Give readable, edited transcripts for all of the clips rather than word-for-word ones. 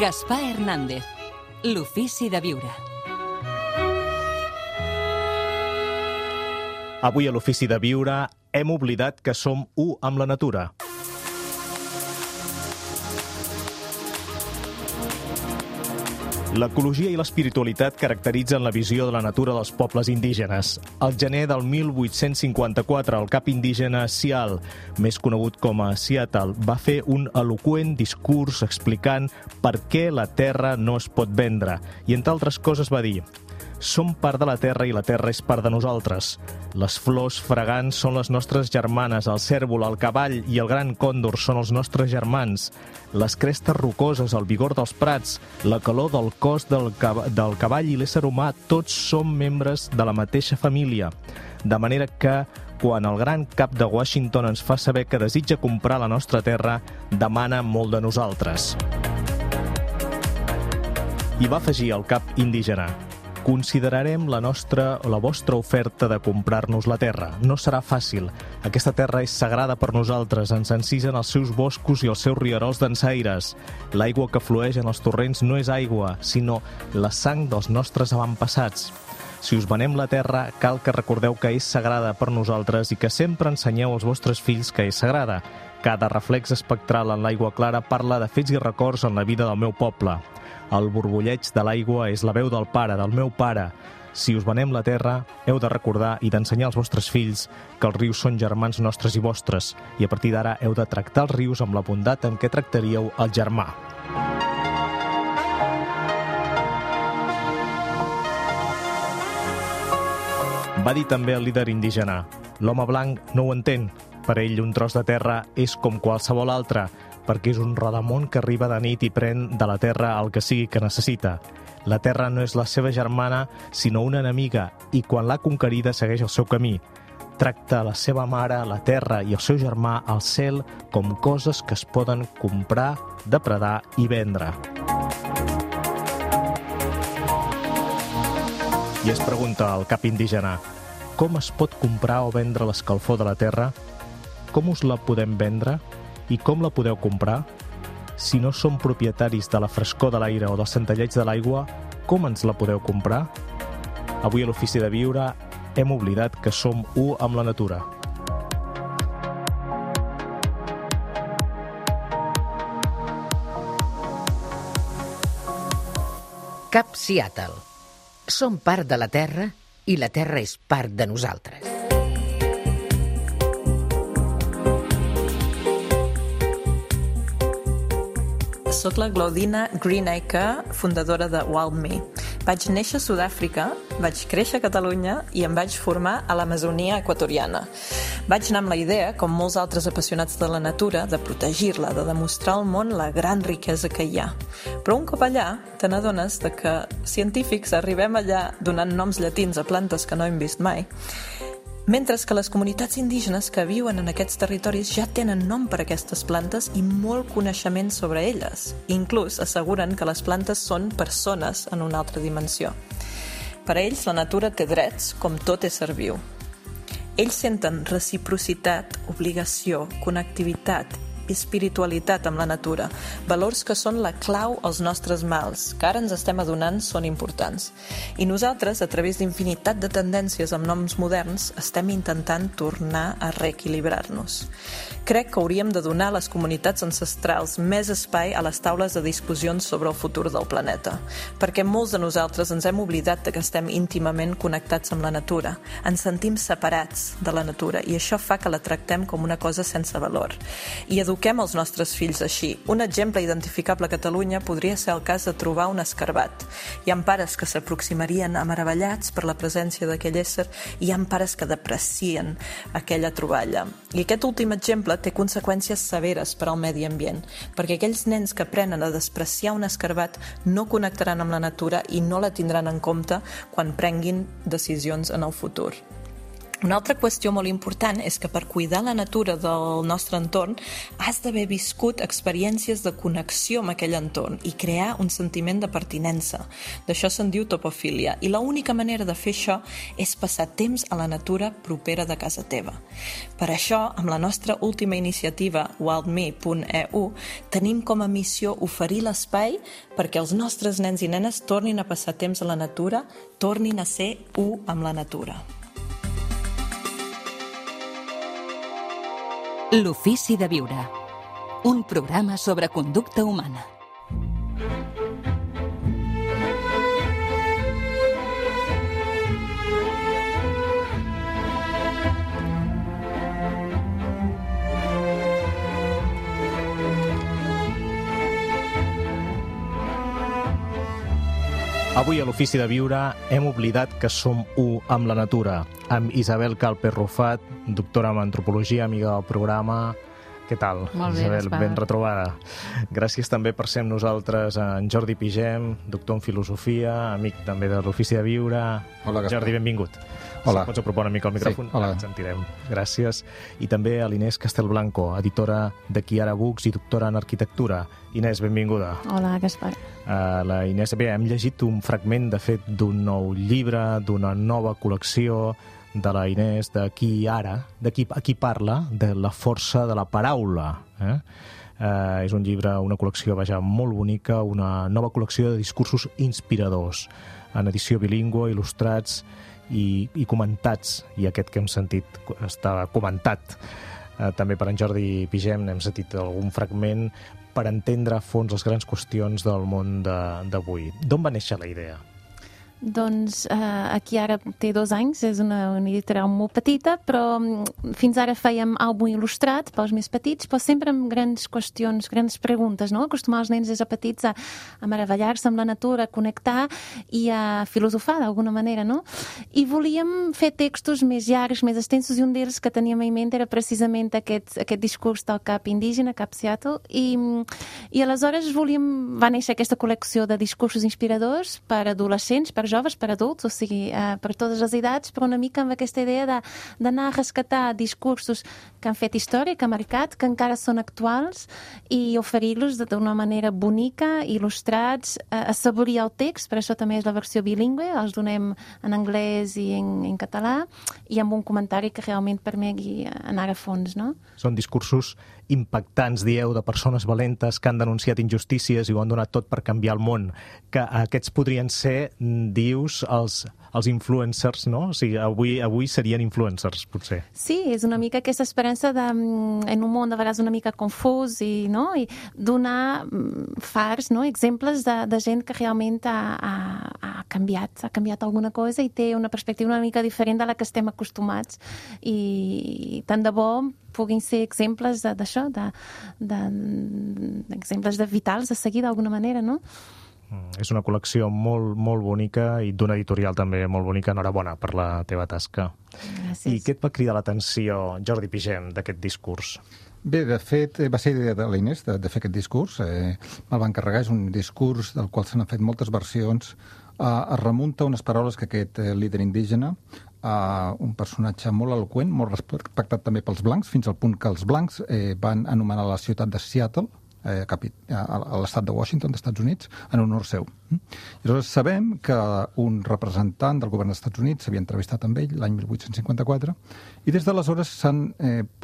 Gaspar Hernández, l'ofici de viure. Avui a l'ofici de viure hem oblidat que som u amb la natura. L'ecologia i l'espiritualitat caracteritzen la visió de la natura dels pobles indígenes. Al gener del 1854, el cap indígena Sial, més conegut com a Seattle, va fer un eloqüent discurs explicant per què la terra no es pot vendre. I, entre altres coses, va dir: som part de la terra i la terra és part de nosaltres. Les flors fragants són les nostres germanes, el cèrvol, el cavall i el gran còndor són els nostres germans. Les crestes rocoses, el vigor dels prats, la calor del cos del cavall i l'ésser humà, tots som membres de la mateixa família. De manera que, quan el gran cap de Washington ens fa saber que desitja comprar la nostra terra, demana molt de nosaltres. I va afegir el cap indígena: considerarem la vostra oferta de comprar-nos la terra. No serà fàcil. Aquesta terra és sagrada per nosaltres. Ens encisen els seus boscos i els seus rierols dansaires. L'aigua que flueix en els torrents no és aigua, sinó la sang dels nostres avantpassats. Si us venem la terra, cal que recordeu que és sagrada per nosaltres i que sempre ensenyeu als vostres fills que és sagrada. Cada reflex espectral en l'aigua clara parla de fets i records en la vida del meu poble. El borbulleig de l'aigua és la veu del pare, del meu pare. Si us venem la terra, heu de recordar i d'ensenyar als vostres fills que els rius són germans nostres i vostres, i a partir d'ara heu de tractar els rius amb la bondat en què tractaríeu el germà. Va dir també el líder indígena: l'home blanc no ho entén. Per ell un tros de terra és com qualsevol altre, perquè és un rodamón que arriba de nit i pren de la terra el que sigui que necessita. La terra no és la seva germana, sinó una enemiga, i quan l'ha conquerida segueix el seu camí. Tracta la seva mare, la terra i el seu germà, el cel, com coses que es poden comprar, depredar i vendre. I es pregunta el cap indígena: com es pot comprar o vendre l'escalfor de la terra? Com us la podem vendre? I com la podeu comprar? Si no som propietaris de la frescor de l'aire o del centelleig de l'aigua, com ens la podeu comprar? Avui a l'ofici de viure hem oblidat que som u amb la natura. Cap Seattle. Som part de la terra i la terra és part de nosaltres. Soc la Glaudina Greenacre, fundadora de WildMe. Vaig néixer a Sud-àfrica, vaig créixer a Catalunya i em vaig formar a l'Amazonia equatoriana. Vaig anar amb la idea, com molts altres apassionats de la natura, de protegir-la, de demostrar al món la gran riquesa que hi ha. Però un cop allà, te n'adones de que científics arribem allà donant noms llatins a plantes que no hem vist mai, mentre que les comunitats indígenes que viuen en aquests territoris ja tenen nom per a aquestes plantes i molt coneixement sobre elles. Inclús asseguren que les plantes són persones en una altra dimensió. Per a ells, la natura té drets, com tot ésser viu. Ells senten reciprocitat, obligació, connectivitat, espiritualitat amb la natura, valors que són la clau als nostres mals, que ara ens estem adonant són importants. I nosaltres, a través d'infinitat de tendències amb noms moderns, estem intentant tornar a reequilibrar-nos. Crec que hauríem de donar a les comunitats ancestrals més espai a les taules de discussions sobre el futur del planeta, perquè molts de nosaltres ens hem oblidat que estem íntimament connectats amb la natura, ens sentim separats de la natura i això fa que la tractem com una cosa sense valor. I eduquem els nostres fills així. Un exemple identificable a Catalunya podria ser el cas de trobar un escarbat. Hi ha pares que s'aproximarien meravellats per la presència d'aquell ésser i hi ha pares que deprecien aquella troballa. I aquest últim exemple té conseqüències severes per al medi ambient, perquè aquells nens que aprenen a despreciar un escarbat no connectaran amb la natura i no la tindran en compte quan prenguin decisions en el futur. Una altra qüestió molt important és que per cuidar la natura del nostre entorn has d'haver viscut experiències de connexió amb aquell entorn i crear un sentiment de pertinença. D'això se'n diu topofília, i l'única manera de fer això és passar temps a la natura propera de casa teva. Per això, amb la nostra última iniciativa, wildme.eu, tenim com a missió oferir l'espai perquè els nostres nens i nenes tornin a passar temps a la natura, tornin a ser u amb la natura. L'ofici de viure. Un programa sobre conducta humana. Avui a l'Ofici de Viure hem oblidat que som u amb la natura, amb Isabel Calper Rufat, doctora en antropologia, amiga del programa. Què tal? Molt bé, Isabel, Gaspar. ben retrobada. Gràcies també per ser amb nosaltres en Jordi Pigem, doctor en filosofia, amic també de l'Ofici de Viure. Hola, Gaspar. Jordi, benvingut. Hola. Si pots apropar una mica el micròfon, Sí, hola. ens sentirem. Gràcies. I també a l'Inés Castelblanco, editora de Chiara Books i doctora en arquitectura. Inés, benvinguda. Hola, Gaspar. La Inés, bé, hem llegit un fragment, de fet, d'un nou llibre, d'una nova col·lecció de la Inés, de qui ara, de qui parla, de la força de la paraula. És un llibre, una col·lecció, vaja, molt bonica, una nova col·lecció de discursos inspiradors, en edició bilingüe, il·lustrats i comentats, i aquest que hem sentit està comentat també per en Jordi Pigem. Hem sentit algun fragment per entendre a fons les grans qüestions del món d'avui. D'on va néixer la idea? Doncs aquí ara té 2 anys, és una editorial molt petita, però fins ara fèiem àlbum il·lustrat pels més petits, però sempre amb grans qüestions, grans preguntes, no? Acostumar els nens des de petits a meravellar-se amb la natura, a connectar i a filosofar d'alguna manera, no? I volíem fer textos més llargs, més extensos, i un d'ells que teníem en ment era precisament aquest discurs del cap indígena, Cap Seattle, i aleshores va néixer aquesta col·lecció de discursos inspiradors per adolescents, per joves, per adults, o sigui, per totes les edats, però una mica amb aquesta idea d'anar a rescatar discursos que han fet història, que han marcat, que encara són actuals, i oferir-los d'una manera bonica, il·lustrats, assaborir el text, per això també és la versió bilingüe, els donem en anglès i en català, i amb un comentari que realment permeti anar a fons, no? Són discursos impactants, dieu, de persones valentes que han denunciat injustícies i ho han donat tot per canviar el món, que aquests podrien ser, dius, els influencers, no? O sigui, avui serien influencers, potser. Sí, és una mica aquesta esperança en un món de vegades una mica confús i donar fars, no? Exemples de gent que realment ha canviat alguna cosa i té una perspectiva una mica diferent de la que estem acostumats, i tant de bo puguin ser exemples d'això, exemples vitals de seguir d'alguna manera, no? És una col·lecció molt, molt bonica i d'una editorial també molt bonica. Enhorabona per la teva tasca. Gràcies. I què et va cridar l'atenció, Jordi Pigem, d'aquest discurs? Bé, de fet, va ser idea de l'Inés de fer aquest discurs. Me'l va encarregar, és un discurs del qual s'han fet moltes versions. Es remunta unes paraules que aquest líder indígena, un personatge molt eloqüent, molt respectat també pels blancs, fins al punt que els blancs van anomenar la ciutat de Seattle, a l'estat de Washington, dels Estats Units, en honor seu. I aleshores sabem que un representant del govern dels Estats Units s'havia entrevistat amb ell l'any 1854, i des d'aleshores s'han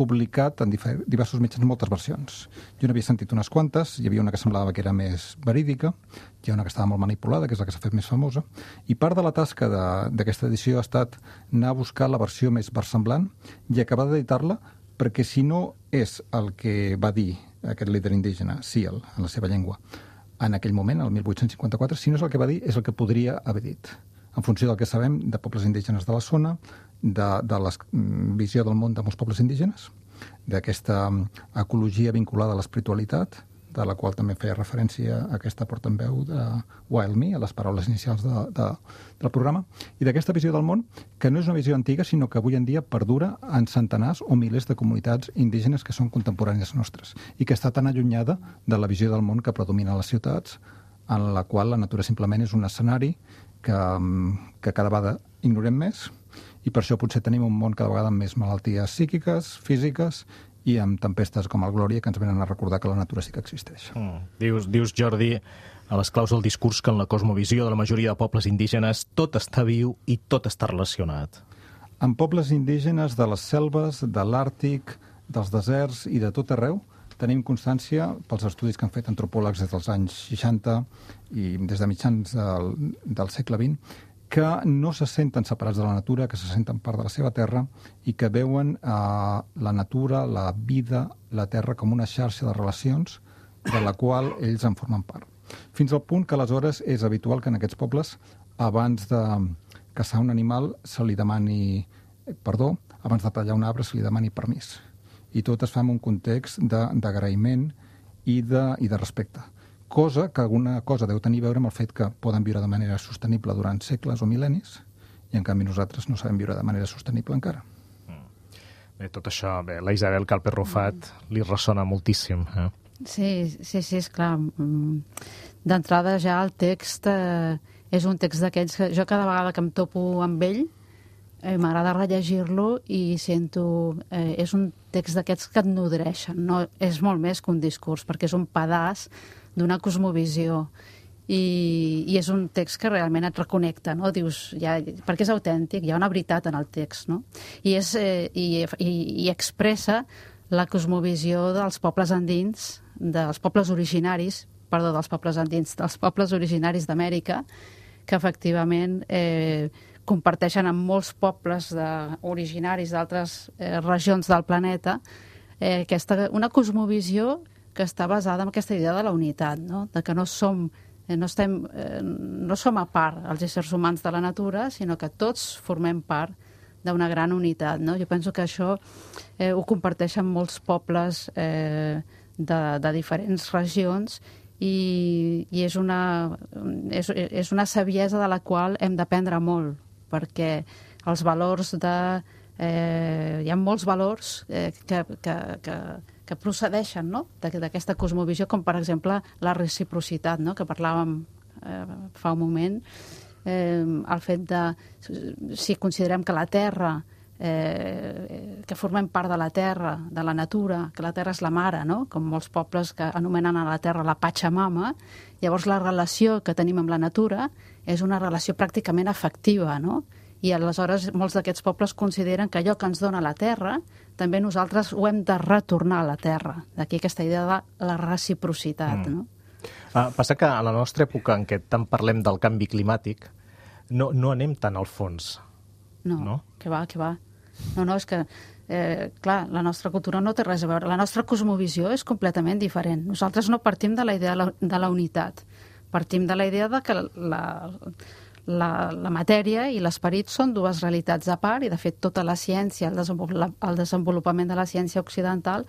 publicat en diversos mitjans moltes versions. Jo n'havia sentit unes quantes, hi havia una que semblava que era més verídica, hi ha una que estava molt manipulada, que és la que s'ha fet més famosa, i part de la tasca d'aquesta edició ha estat anar a buscar la versió més versemblant i acabar d'editar-la, perquè si no és el que va dir aquest líder indígena, Seal, en la seva llengua, en aquell moment, el 1854, si no és el que va dir, és el que podria haver dit. En funció del que sabem de pobles indígenes de la zona, de la visió del món de molts pobles indígenes, d'aquesta ecologia vinculada a l'espiritualitat, de la qual també feia referència a aquesta portaveu de WildMe, a les paraules inicials del programa, i d'aquesta visió del món, que no és una visió antiga, sinó que avui en dia perdura en centenars o milers de comunitats indígenes que són contemporànies nostres, i que està tan allunyada de la visió del món que predomina a les ciutats, en la qual la natura simplement és un escenari que cada vegada ignorem més i per això potser tenim un món cada vegada amb més malalties psíquiques, físiques, i amb tempestes com el Glòria que ens venen a recordar que la natura sí que existeix. Dius, Jordi, a les claus del discurs que en la cosmovisió de la majoria de pobles indígenes tot està viu i tot està relacionat. En pobles indígenes de les selves, de l'Àrtic, dels deserts i de tot arreu, tenim constància, pels estudis que han fet antropòlegs des dels anys 60 i des de mitjans del segle XX, que no se senten separats de la natura, que se senten part de la seva terra i que veuen la natura, la vida, la terra com una xarxa de relacions de la qual ells en formen part. Fins al punt que aleshores és habitual que en aquests pobles, abans de caçar un animal, se li demani perdó, abans de tallar un arbre se li demani permís. I tot es fa en un context d'agraïment i de respecte. Cosa que alguna cosa deu tenir a veure amb el fet que poden viure de manera sostenible durant segles o mil·lennis i en canvi nosaltres no sabem viure de manera sostenible encara. Bé, tot això, la Isabel Calper-Rufat li ressona moltíssim. Sí, és clar. D'entrada ja el text és un text d'aquells que jo cada vegada que em topo amb ell m'agrada rellegir-lo i sento... és un text d'aquests que et nodreixen, no? És molt més que un discurs, perquè és un pedaç d'una cosmovisió i és un text que realment et reconnecta, no? Dius, perquè és autèntic, hi ha una veritat en el text, no? I expressa la cosmovisió dels pobles andins, dels pobles originaris d'Amèrica, que efectivament comparteixen amb molts pobles originaris d'altres regions del planeta una cosmovisió que està basada en aquesta idea de la unitat, no? De que no som a part els éssers humans de la natura, sinó que tots formem part d'una gran unitat, no? Jo penso que això ho comparteixen molts pobles de diferents regions i és una saviesa de la qual hem d'aprendre molt, perquè els valors hi ha molts valors que procedeixen, no? D'aquesta cosmovisió, com per exemple la reciprocitat, no? Que parlàvem fa un moment, el fet de, si considerem que la Terra, que formem part de la Terra, de la natura, que la Terra és la mare, no? Com molts pobles que anomenen a la Terra la Pachamama, llavors la relació que tenim amb la natura és una relació pràcticament afectiva, no? I aleshores molts d'aquests pobles consideren que allò que ens dona la Terra també nosaltres ho hem de retornar a la Terra. D'aquí aquesta idea de la reciprocitat, no? Passa que a la nostra època en què tant parlem del canvi climàtic no anem tant al fons. No? Que va. No, és que, clar, la nostra cultura no té res a veure. La nostra cosmovisió és completament diferent. Nosaltres no partim de la idea de la unitat. Partim de la idea de que la matèria i l'esperit són dues realitats a part i, de fet, tota la ciència, el desenvolupament de la ciència occidental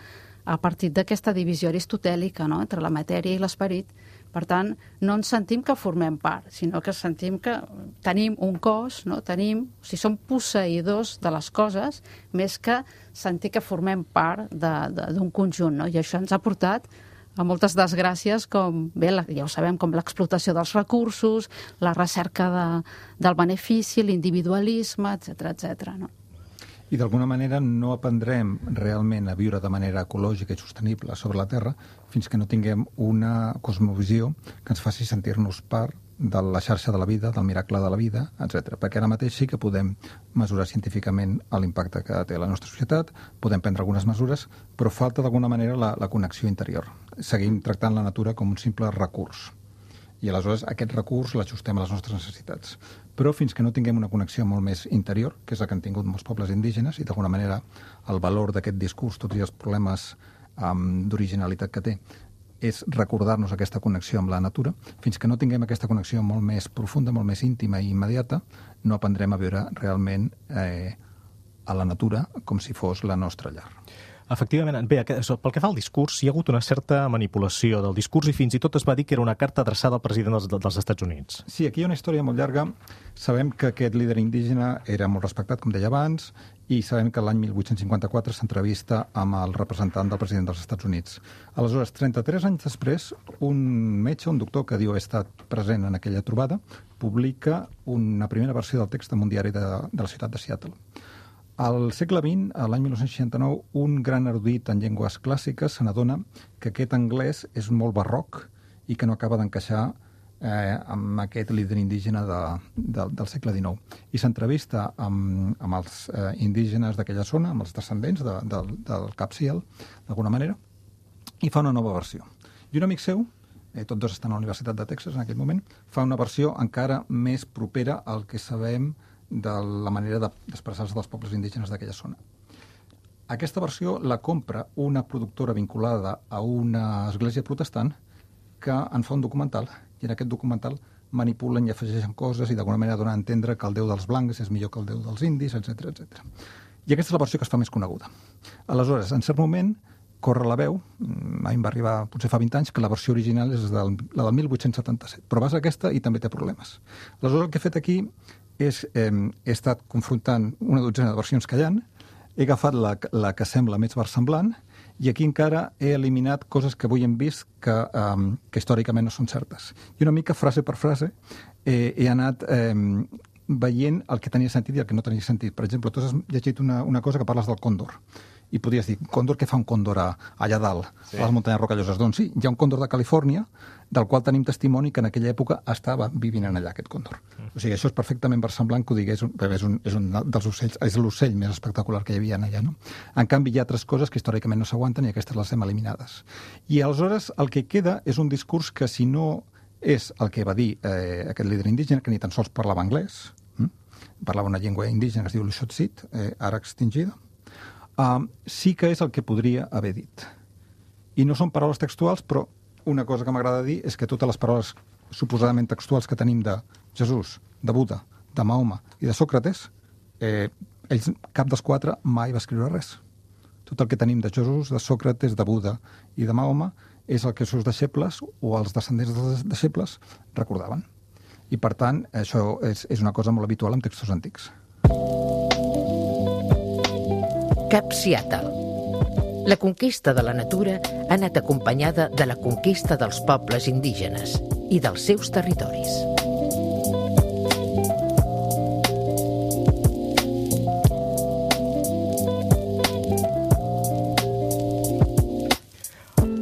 a partir d'aquesta divisió aristotèlica, no?, entre la matèria i l'esperit. Per tant, no ens sentim que formem part, sinó que sentim que tenim un cos, no? Som posseïdors de les coses, més que sentir que formem part d'un conjunt, no? I això ens ha portat a moltes desgràcies, com, bé, ja ho sabem, com l'explotació dels recursos, la recerca del benefici, l'individualisme, etc., no? I d'alguna manera no aprendrem realment a viure de manera ecològica i sostenible sobre la Terra fins que no tinguem una cosmovisió que ens faci sentir-nos part de la xarxa de la vida, del miracle de la vida, etc. Perquè ara mateix sí que podem mesurar científicament l'impacte que té la nostra societat, podem prendre algunes mesures, però falta d'alguna manera la connexió interior. Seguim tractant la natura com un simple recurs. I aleshores aquest recurs l'ajustem a les nostres necessitats. Però fins que no tinguem una connexió molt més interior, que és la que han tingut molts pobles indígenes, i d'alguna manera el valor d'aquest discurs, tots els problemes d'originalitat que té, és recordar-nos aquesta connexió amb la natura. Fins que no tinguem aquesta connexió molt més profunda, molt més íntima i immediata, no aprendrem a viure realment a la natura com si fos la nostra llar. Efectivament, bé, pel que fa al discurs, hi ha hagut una certa manipulació del discurs i fins i tot es va dir que era una carta adreçada al president dels Estats Units. Sí, aquí hi ha una història molt llarga. Sabem que aquest líder indígena era molt respectat, com deia abans, i sabem que l'any 1854 s'entrevista amb el representant del president dels Estats Units. Aleshores, 33 anys després, un metge, un doctor que diu haver estat present en aquella trobada, publica una primera versió del text en un diari de la ciutat de Seattle. Al segle XX, a l'any 1969, un gran erudit en llengües clàssiques se n'adona que aquest anglès és molt barroc i que no acaba d'encaixar amb aquest líder indígena del segle XIX. I s'entrevista amb els indígenes d'aquella zona, amb els descendents del Cap Ciel, d'alguna manera, i fa una nova versió. I un amic seu, tots dos estan a la Universitat de Texas en aquell moment, fa una versió encara més propera al que sabem de la manera d'expressar-se dels pobles indígenes d'aquella zona. Aquesta versió la compra una productora vinculada a una església protestant que en fa un documental, i en aquest documental manipulen i afegeixen coses i d'alguna manera donen a entendre que el déu dels blancs és millor que el déu dels indis, etc etc. I aquesta és la versió que es fa més coneguda. Aleshores, en cert moment, corre la veu, a mi em va arribar potser fa 20 anys, que la versió original és la del 1877, però vas a aquesta i també té problemes. Aleshores, el que he fet aquí és, he estat confrontant una dotzena de versions que hi ha, he agafat la que sembla més versemblant i aquí encara he eliminat coses que avui hem vist que històricament no són certes. I una mica, frase per frase, he anat veient el que tenia sentit i el que no tenia sentit. Per exemple, tu has llegit una cosa que parles del còndor. I podries dir, còndor, què fa un còndor allà dalt, a les muntanyes rocalloses? Doncs sí, hi ha un còndor de Califòrnia, del qual tenim testimoni que en aquella època estava vivint allà, aquest còndor. O sigui, això és perfectament versemblant que ho digués, és un dels ocells, és l'ocell més espectacular que hi havia allà, no? En canvi, hi ha altres coses que històricament no s'aguanten i aquestes les hem eliminades. I aleshores el que queda és un discurs que, si no és el que va dir aquest líder indígena, que ni tan sols parlava anglès, parlava una llengua indígena que es diu l'Ixotsit, ara extingida, sí que és el que podria haver dit. I no són paraules textuals, però una cosa que m'agrada dir és que totes les paraules suposadament textuals que tenim de Jesús, de Buda, de Mahoma i de Sòcrates, ells, cap dels quatre, mai va escriure res. Tot el que tenim de Jesús, de Sòcrates, de Buda i de Mahoma és el que els seus deixebles o els descendents dels deixebles recordaven. I, per tant, això és una cosa molt habitual en textos antics. Cap Seattle. La conquista de la natura ha anat acompanyada de la conquista dels pobles indígenes i dels seus territoris.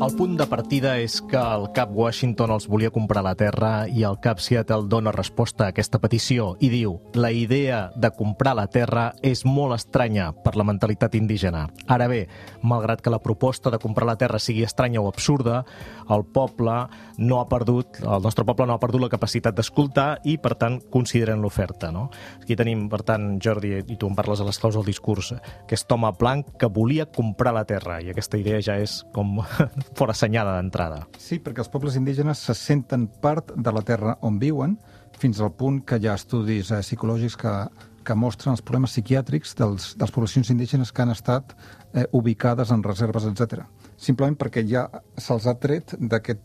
El punt de partida és que el cap Washington els volia comprar la terra i el cap Seattle dona resposta a aquesta petició i diu: la idea de comprar la terra és molt estranya per la mentalitat indígena. Ara bé, malgrat que la proposta de comprar la terra sigui estranya o absurda, el nostre poble no ha perdut la capacitat d'escoltar i, per tant, consideren l'oferta, no? Aquí tenim, per tant, Jordi, i tu en parles a les claus del discurs, que és Thomas Blanc, que volia comprar la terra, i aquesta idea ja és com fora assenyada d'entrada. Sí, perquè els pobles indígenes se senten part de la terra on viuen, fins al punt que hi ha estudis psicològics que mostren els problemes psiquiàtrics de les poblacions indígenes que han estat ubicades en reserves, etc. Simplement perquè ja se'ls ha tret d'aquest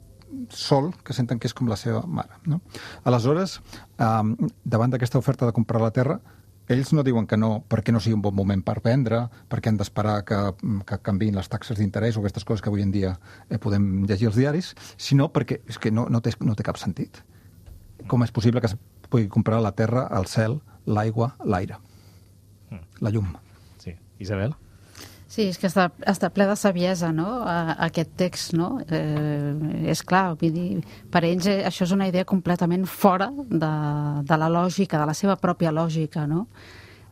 sol que senten que és com la seva mare, no? Aleshores, davant d'aquesta oferta de comprar la terra, ells no diuen que no perquè no sigui un bon moment per vendre, perquè han d'esperar que canviïn les taxes d'interès o aquestes coses que avui en dia podem llegir als diaris, sinó perquè és que no té cap sentit. Com és possible que es pugui comprar la terra, el cel, l'aigua, l'aire, la llum? Sí. Isabel? Sí, és que està ple de saviesa, no?, aquest text, no? És clar, vull dir, per ells això és una idea completament fora de la lògica, de la seva pròpia lògica, no?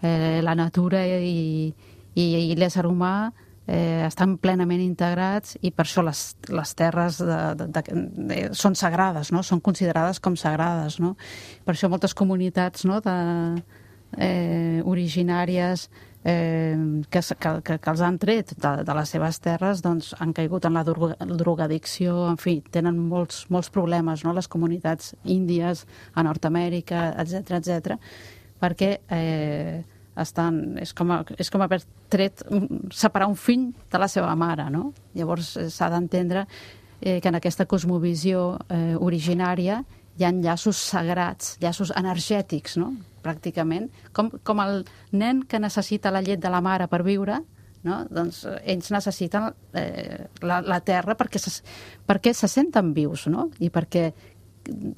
La natura i l'ésser humà estan plenament integrats i per això les terres són sagrades, no? Són considerades com sagrades, no? Per això moltes comunitats, no?, originàries que els han tret de les seves terres, doncs han caigut en la drogadicció, en fi, tenen molts problemes, no?, les comunitats índies a Nord-Amèrica, etc, perquè és com haver separar un fill de la seva mare, no? Llavors s'ha d'entendre que en aquesta cosmovisió originària hi ha llaços sagrats, llaços energètics, no?, pràcticament, com el nen que necessita la llet de la mare per viure, no? Doncs ells necessiten la terra perquè se senten vius, no? I perquè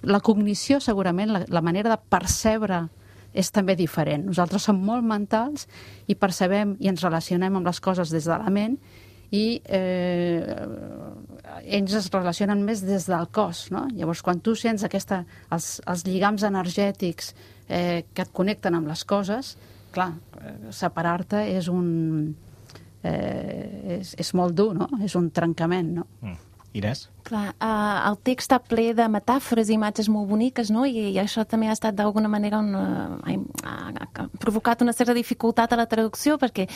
la cognició, segurament, la manera de percebre és també diferent. Nosaltres som molt mentals i percebem i ens relacionem amb les coses des de la ment i ells es relacionen més des del cos, no? Llavors, quan tu sents els lligams energètics que et connecten amb les coses, clar, separar-te és molt dur, no? És un trencament, no? Inés? Clar, el text està ple de metàfores i imatges molt boniques, no? I això també ha estat d'alguna manera ha provocat una certa dificultat a la traducció, perquè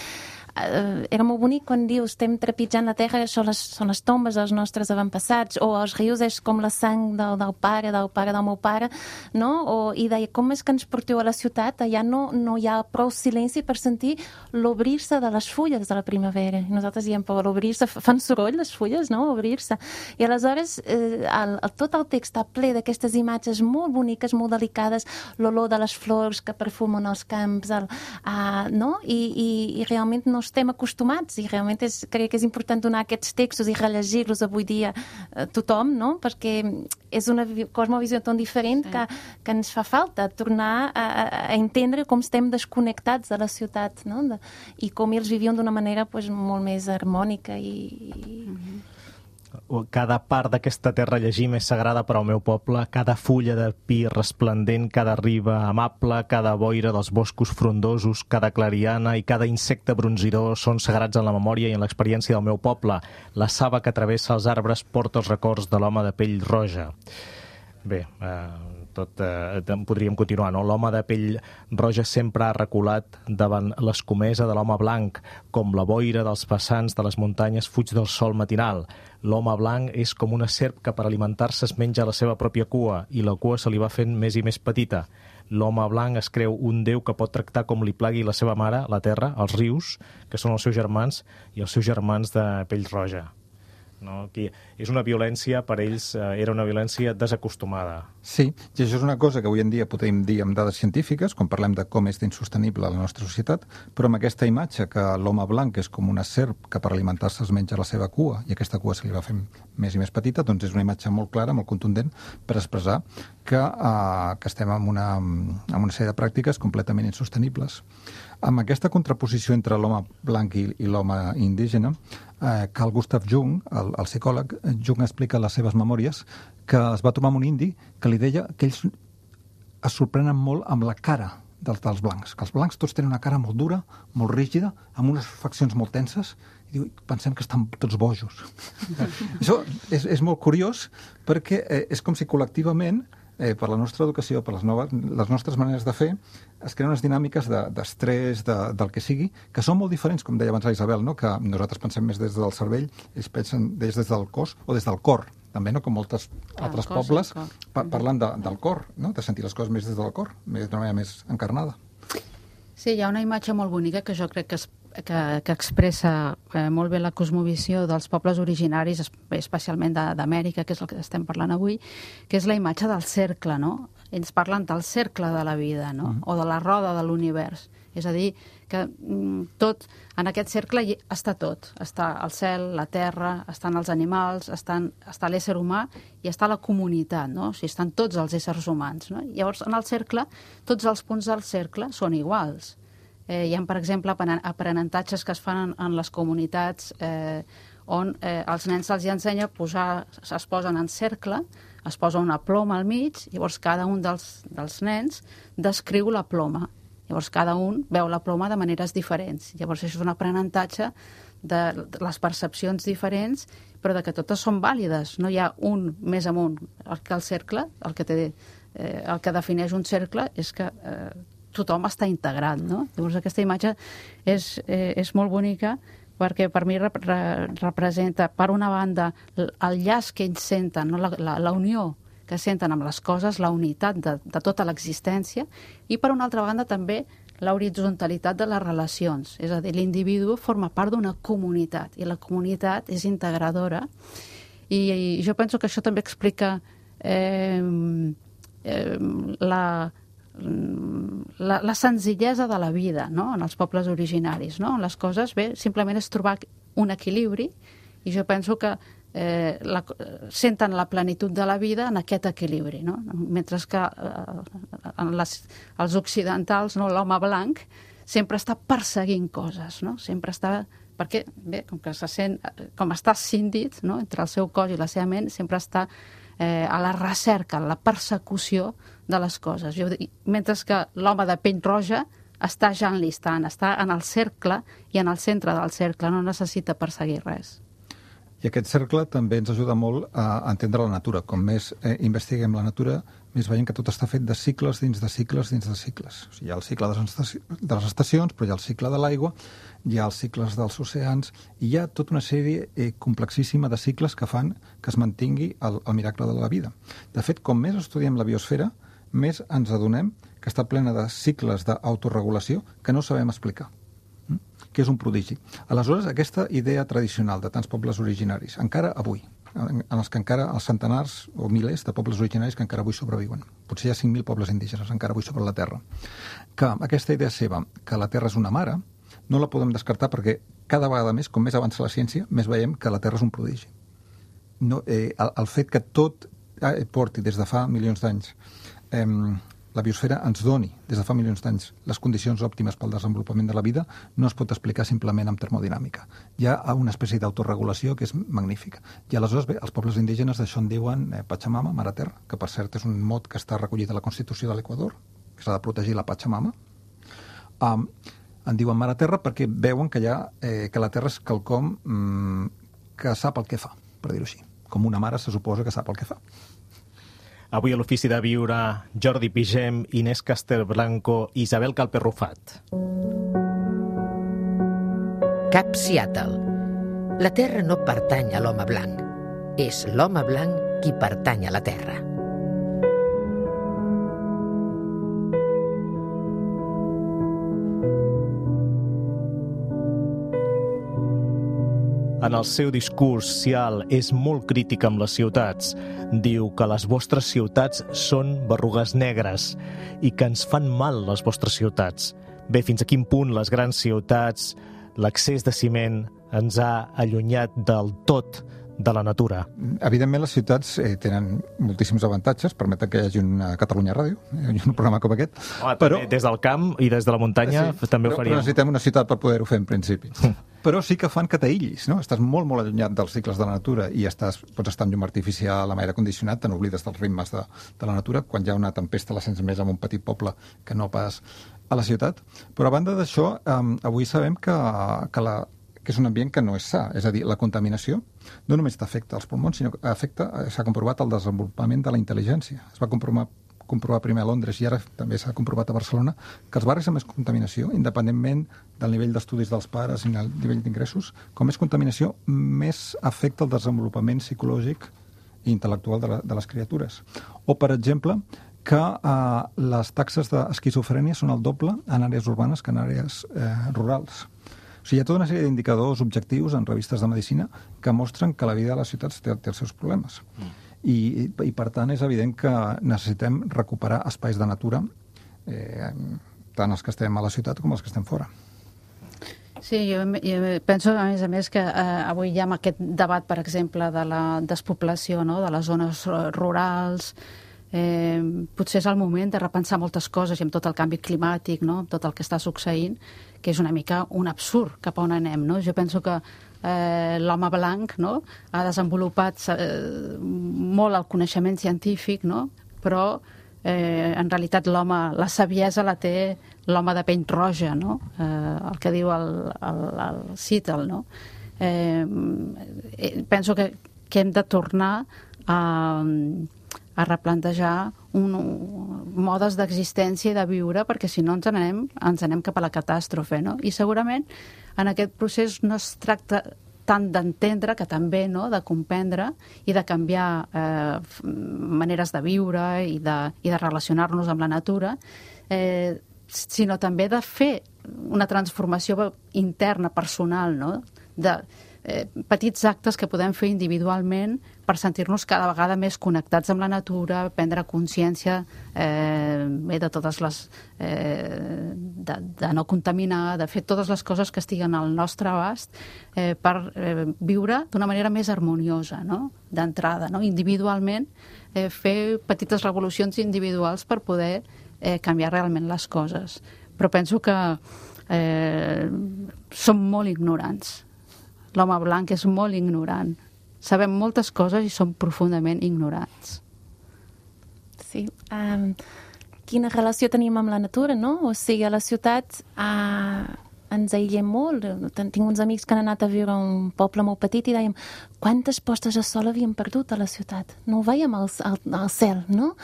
era molt bonic quan dius estem trepitjant la terra, això són les tombes dels nostres avantpassats, o els rius és com la sang del pare del meu pare, no? I deia, com és que ens porteu a la ciutat? Allà no hi ha prou silenci per sentir l'obrir-se de les fulles de la primavera. I nosaltres diem, però l'obrir-se, fan soroll les fulles, no? Obrir-se. I aleshores tot el text està ple d'aquestes imatges molt boniques, molt delicades, l'olor de les flors que perfumen els camps, no? I realment no estem acostumats, i realment crec que és important donar aquests textos i rellegir-los avui dia a tothom, no? Perquè és una cosmovisió tan diferent que ens fa falta tornar a entendre com estem desconnectats de la ciutat, no? I com ells vivien d'una manera molt més harmònica Cada part d'aquesta terra llegim és sagrada per al meu poble, cada fulla de pi resplendent, cada riba amable, cada boira dels boscos frondosos, cada clariana i cada insecte bronzidor són sagrats en la memòria i en l'experiència del meu poble. La saba que travessa els arbres porta els records de l'home de pell roja. Bé, podríem continuar, no? L'home de pell roja sempre ha reculat davant l'escomesa de l'home blanc, com la boira dels passants de les muntanyes fuig del sol matinal. L'home blanc és com una serp que per alimentar-se es menja la seva pròpia cua i la cua se li va fent més i més petita. L'home blanc es creu un déu que pot tractar com li plagui la seva mare, la terra, els rius, que són els seus germans, i els seus germans de pell roja. No? Que és una violència, per ells era una violència desacostumada. Sí, i això és una cosa que avui en dia podem dir amb dades científiques, quan parlem de com és d'insostenible la nostra societat, però amb aquesta imatge que l'home blanc és com una serp que per alimentar-se es menja la seva cua i aquesta cua se li va fent més i més petita, doncs és una imatge molt clara, molt contundent per expressar que estem en una sèrie de pràctiques completament insostenibles. Amb aquesta contraposició entre l'home blanc i l'home indígena, Carl Gustav Jung, el psicòleg, Jung explica en les seves memòries que es va trobar amb un indi que li deia que ells es sorprenen molt amb la cara dels blancs, que els blancs tots tenen una cara molt dura, molt rígida, amb unes faccions molt tenses, i diu, pensem que estan tots bojos. Això és molt curiós perquè és com si col·lectivament per la nostra educació, per les nostres maneres de fer, es creen unes dinàmiques d'estrès, del que sigui, que són molt diferents, com deia abans la Isabel, no? Que nosaltres pensem més des del cervell, ells pensen des del cos o des del cor, també, no? Com molts altres pobles parlen del cor, no? De sentir les coses més des del cor, d'una manera més encarnada. Sí, hi ha una imatge molt bonica que jo crec que expressa molt bé la cosmovisió dels pobles originaris, especialment d'Amèrica, que és el que estem parlant avui, que és la imatge del cercle, no? Ells parlen del cercle de la vida, no? O de la roda de l'univers. És a dir, que tot, en aquest cercle està tot. Està el cel, la terra, estan els animals, està l'ésser humà i està la comunitat, no? O sigui, estan tots els éssers humans, no? Llavors, en el cercle, tots els punts del cercle són iguals. Hi ha, per exemple, aprenentatges que es fan en les comunitats on els nens se'ls ensenya es posen en cercle, es posa una ploma al mig, llavors cada un dels nens descriu la ploma. Llavors cada un veu la ploma de maneres diferents. Llavors això és un aprenentatge de les percepcions diferents, però de que totes són vàlides. No hi ha un més amunt que el cercle, el que defineix un cercle és que tothom està integrat, no? Llavors aquesta imatge és molt bonica perquè per mi representa, per una banda, el llaç que ells senten, no? La unió que senten amb les coses, la unitat de tota l'existència, i per una altra banda també l'horitzontalitat de les relacions. És a dir, l'individu forma part d'una comunitat i la comunitat és integradora, i jo penso que això també explica la senzillesa de la vida, no? En els pobles originaris, no? Les coses, bé, simplement és trobar un equilibri, i jo penso que senten la plenitud de la vida en aquest equilibri, no? Mentre que els occidentals, no, l'home blanc, sempre està perseguint coses, no? Sempre està... Perquè, bé, com que se sent... Com està escindit, no?, entre el seu cos i la seva ment, sempre està a la recerca, a la persecució de les coses. Mentre que l'home de pell roja està ja enlistant, està en el cercle i en el centre del cercle, no necessita perseguir res. I aquest cercle també ens ajuda molt a entendre la natura. Com més investiguem la natura, més veiem que tot està fet de cicles dins de cicles dins de cicles. O sigui, hi ha el cicle de les estacions, però hi ha el cicle de l'aigua, hi ha els cicles dels oceans, i hi ha tota una sèrie complexíssima de cicles que fan que es mantingui el miracle de la vida. De fet, com més estudiem la biosfera, més ens adonem que està plena de cicles d'autoregulació que no sabem explicar, que és un prodigi. Aleshores, aquesta idea tradicional de tants pobles originaris, encara avui, en els que encara els centenars o milers de pobles originaris que encara avui sobreviuen, potser hi ha 5.000 pobles indígenes encara avui sobre la Terra, que aquesta idea seva, que la Terra és una mare, no la podem descartar perquè cada vegada més, com més avança la ciència, més veiem que la Terra és un prodigi. No, el fet que tot porti des de fa milions d'anys la biosfera ens doni, des de fa milions d'anys, les condicions òptimes pel desenvolupament de la vida, no es pot explicar simplement amb termodinàmica. Hi ha una espècie d'autoregulació que és magnífica. I aleshores, bé, els pobles indígenes d'això en diuen Pachamama, Mare Terra, que per cert és un mot que està recollit a la Constitució de l'Equador, que s'ha de protegir la Pachamama. En diuen Mare Terra perquè veuen que la Terra és quelcom que sap el que fa, per dir-ho així. Com una mare se suposa que sap el que fa. Avui a l'Ofici de Viure, Jordi Pigem, Inés Castelblanco i Isabel Calper-Rufat. Cap Seattle. La Terra no pertany a l'home blanc. És l'home blanc qui pertany a la Terra. En el seu discurs, Cial és molt crític amb les ciutats. Diu que les vostres ciutats són berrugues negres i que ens fan mal les vostres ciutats. Bé, fins a quin punt les grans ciutats, l'excés de ciment, ens ha allunyat del tot de la natura? Evidentment, les ciutats tenen moltíssims avantatges, permeten que hi hagi una Catalunya Ràdio, un programa com aquest. Però des del camp i des de la muntanya també ho faríem. Però necessitem una ciutat per poder-ho fer, en principi. Però sí que fan que t'aïllis, no? Estàs molt, molt allunyat dels cicles de la natura i pots estar amb llum artificial, amb aire condicionat, te n'oblides dels ritmes de la natura. Quan hi ha una tempesta la sents més en un petit poble que no pas a la ciutat. Però a banda d'això, avui sabem que és un ambient que no és sa. És a dir, la contaminació no només t'afecta els pulmons, sinó que s'ha comprovat el desenvolupament de la intel·ligència. Es va comprovar primer a Londres i ara també s'ha comprovat a Barcelona que els barris amb més contaminació, independentment del nivell d'estudis dels pares i el nivell d'ingressos, com més contaminació, més afecta el desenvolupament psicològic i intel·lectual de les criatures. O, per exemple, que les taxes d'esquizofrènia són el doble en àrees urbanes que en àrees rurals. O sigui, hi ha tota una sèrie d'indicadors objectius en revistes de medicina que mostren que la vida a les ciutats té els seus problemes. I per tant, és evident que necessitem recuperar espais de natura, tant els que estem a la ciutat com els que estem fora. Sí, jo penso, a més, que avui hi ha aquest debat, per exemple, de la despoblació, no?, de les zones rurals. Potser és el moment de repensar moltes coses i amb tot el canvi climàtic, no?, amb tot el que està succeint, que és una mica un absurd cap a on anem, no? Jo penso que l'home blanc, no?, ha desenvolupat molt el coneixement científic, no?, però en realitat la saviesa la té l'home de pell roja, no?, el que diu el Seattle, no? Penso que hem de tornar a replantejar modes d'existència i de viure, perquè si no ens anem cap a la catàstrofe, no? I segurament en aquest procés no es tracta tant d'entendre, que també, no?, de comprendre i de canviar maneres de viure i de relacionar-nos amb la natura, sinó també de fer una transformació interna, personal, no?, petits actes que podem fer individualment per sentir-nos cada vegada més connectats amb la natura, prendre consciència de totes les... de no contaminar, de fer totes les coses que estiguen al nostre abast per viure d'una manera més harmoniosa, no? D'entrada, no? Individualment, fer petites revolucions individuals per poder canviar realment les coses. Però penso que som molt ignorants. L'home blanc és molt ignorant. Sabem moltes coses i som profundament ignorants. Sí. Quina relació tenim amb la natura, no? O sigui, a la ciutat ens aïllem molt. Tinc uns amics que han anat a viure a un poble molt petit i dèiem quantes postes de sol havíem perdut a la ciutat. No ho veiem al cel, no?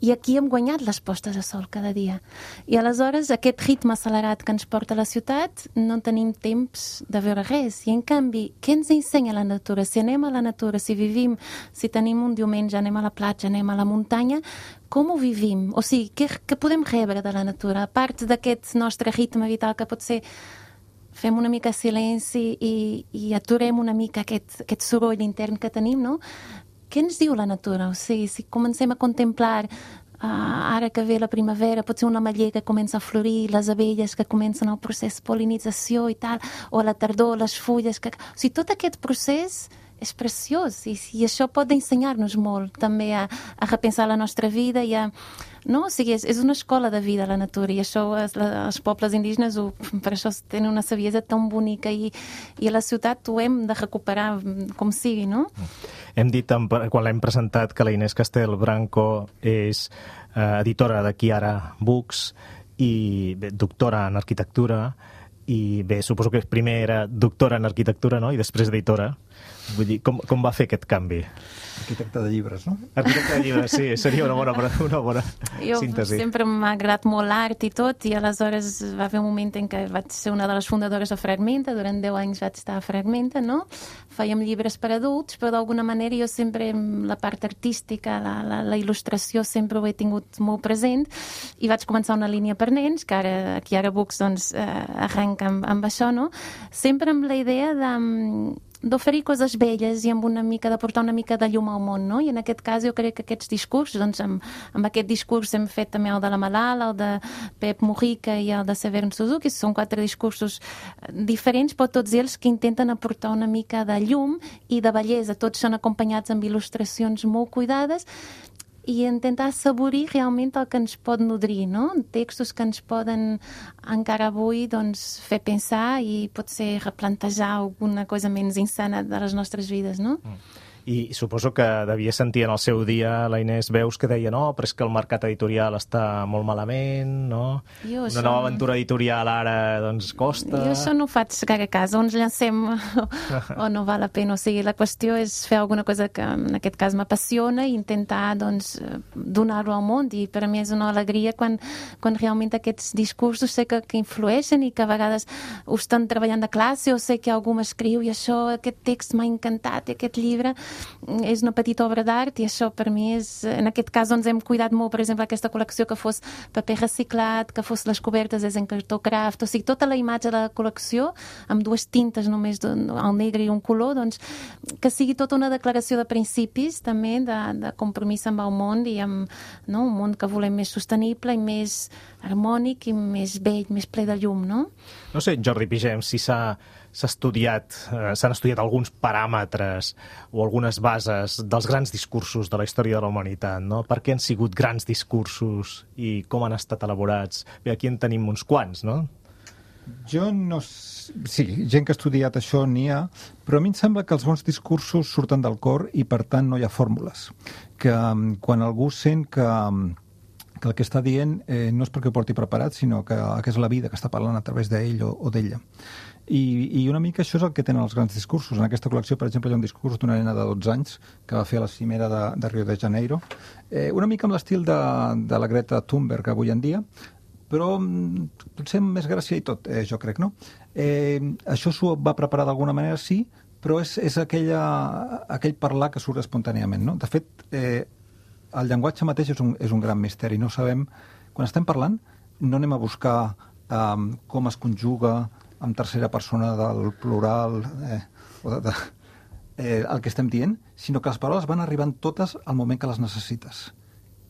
I aquí hem guanyat les postes de sol cada dia. I aleshores aquest ritme accelerat que ens porta a la ciutat no tenim temps de veure res. I en canvi, què ens ensenya la natura? Si anem a la natura, si vivim, si tenim un diumenge, anem a la platja, anem a la muntanya, com ho vivim? O sigui, què podem rebre de la natura? A part d'aquest nostre ritme vital que potser fem una mica silenci i aturem una mica aquest soroll intern que tenim, no? Què ens diu la natura? O sigui, si comencem a contemplar ara que ve la primavera, potser una ametller que comença a florir, les abelles que comencen el procés de pol·linització i tal, o a la tardor les fulles... O sigui, tot aquest procés és preciós i això pot ensenyar-nos molt també a repensar la nostra vida i a... No? O sigui, és una escola de vida la natura i això els pobles indígenes per això tenen una saviesa tan bonica i a la ciutat ho hem de recuperar com sigui, no? Hem dit, quan l'hem presentat, que la Inés Castel Branco és editora de Kiara Books i doctora en arquitectura i bé, suposo que primer era doctora en arquitectura, no? I després editora. Vull dir, com va fer aquest canvi? Arquitecte de llibres, no? Arquitecte de llibres, sí, seria una bona síntesi. Jo sempre m'ha agradat molt l'art i tot, i aleshores va haver un moment en què vaig ser una de les fundadores de Fragmenta, durant 10 anys vaig estar a Fragmenta, no? Fèiem llibres per adults, però d'alguna manera jo sempre, la part artística, la il·lustració, sempre ho he tingut molt present, i vaig començar una línia per nens, que ara Books doncs, arrenca amb això, no? Sempre amb la idea d'oferir coses belles i de portar una mica de llum al món, no? I en aquest cas jo crec que aquests discursos, doncs amb aquest discurs hem fet també el de la Malala, el de Pep Mujica i el de Severn Suzuki, són 4 discursos diferents, però tots ells que intenten aportar una mica de llum i de bellesa, tots són acompanyats amb il·lustracions molt cuidades i intentar assaborir realment el que ens pot nodrir, no? Textos que ens poden encara avui doncs, fer pensar i potser replantejar alguna cosa menys insana de les nostres vides, no? I suposo que devia sentir en el seu dia la Inés Veus que deia no, però és que el mercat editorial està molt malament, no? Una nova aventura editorial ara doncs costa... Jo això no ho faig gaire cas, o ens llancem o no val la pena. O sigui, la qüestió és fer alguna cosa que en aquest cas m'apassiona i intentar doncs, donar-ho al món, i per a mi és una alegria quan realment aquests discursos sé que influeixen i que a vegades ho estan treballant de classe o sé que algú m'escriu i això, aquest text m'ha encantat, aquest llibre és una petita obra d'art i això per mi és... En aquest cas doncs, hem cuidat molt, per exemple, aquesta col·lecció que fos paper reciclat, que fos les cobertes és en cartó craft, o sigui, tota la imatge de la col·lecció amb 2 tintes només, el negre i un color, doncs que sigui tota una declaració de principis també, de compromís amb el món i amb un món que volem més sostenible i més harmònic i més vell, més ple de llum, no? No sé, Jordi Pigem, si s'han estudiat alguns paràmetres o algunes bases dels grans discursos de la història de la humanitat, no? Per què han sigut grans discursos i com han estat elaborats? Bé, aquí en tenim uns quants, no? Jo no... Sí, gent que ha estudiat això n'hi ha, però a mi em sembla que els bons discursos surten del cor i, per tant, no hi ha fórmules. Que quan algú sent que el que està dient no és perquè ho porti preparat, sinó que és la vida que està parlant a través d'ell o d'ella. I una mica això és el que tenen els grans discursos. En aquesta col·lecció, per exemple, hi ha un discurs d'una nena de 12 anys que va fer a la cimera de Rio de Janeiro, una mica amb l'estil de la Greta Thunberg avui en dia, però potser amb més gràcia i tot, jo crec, no? Això s'ho va preparar d'alguna manera, sí, però és aquell parlar que surt espontàniament, no? De fet, el llenguatge mateix és un gran misteri. No sabem... Quan estem parlant, no anem a buscar com es conjuga, en tercera persona del plural, el que estem dient, sinó que les paraules van arribant totes al moment que les necessites.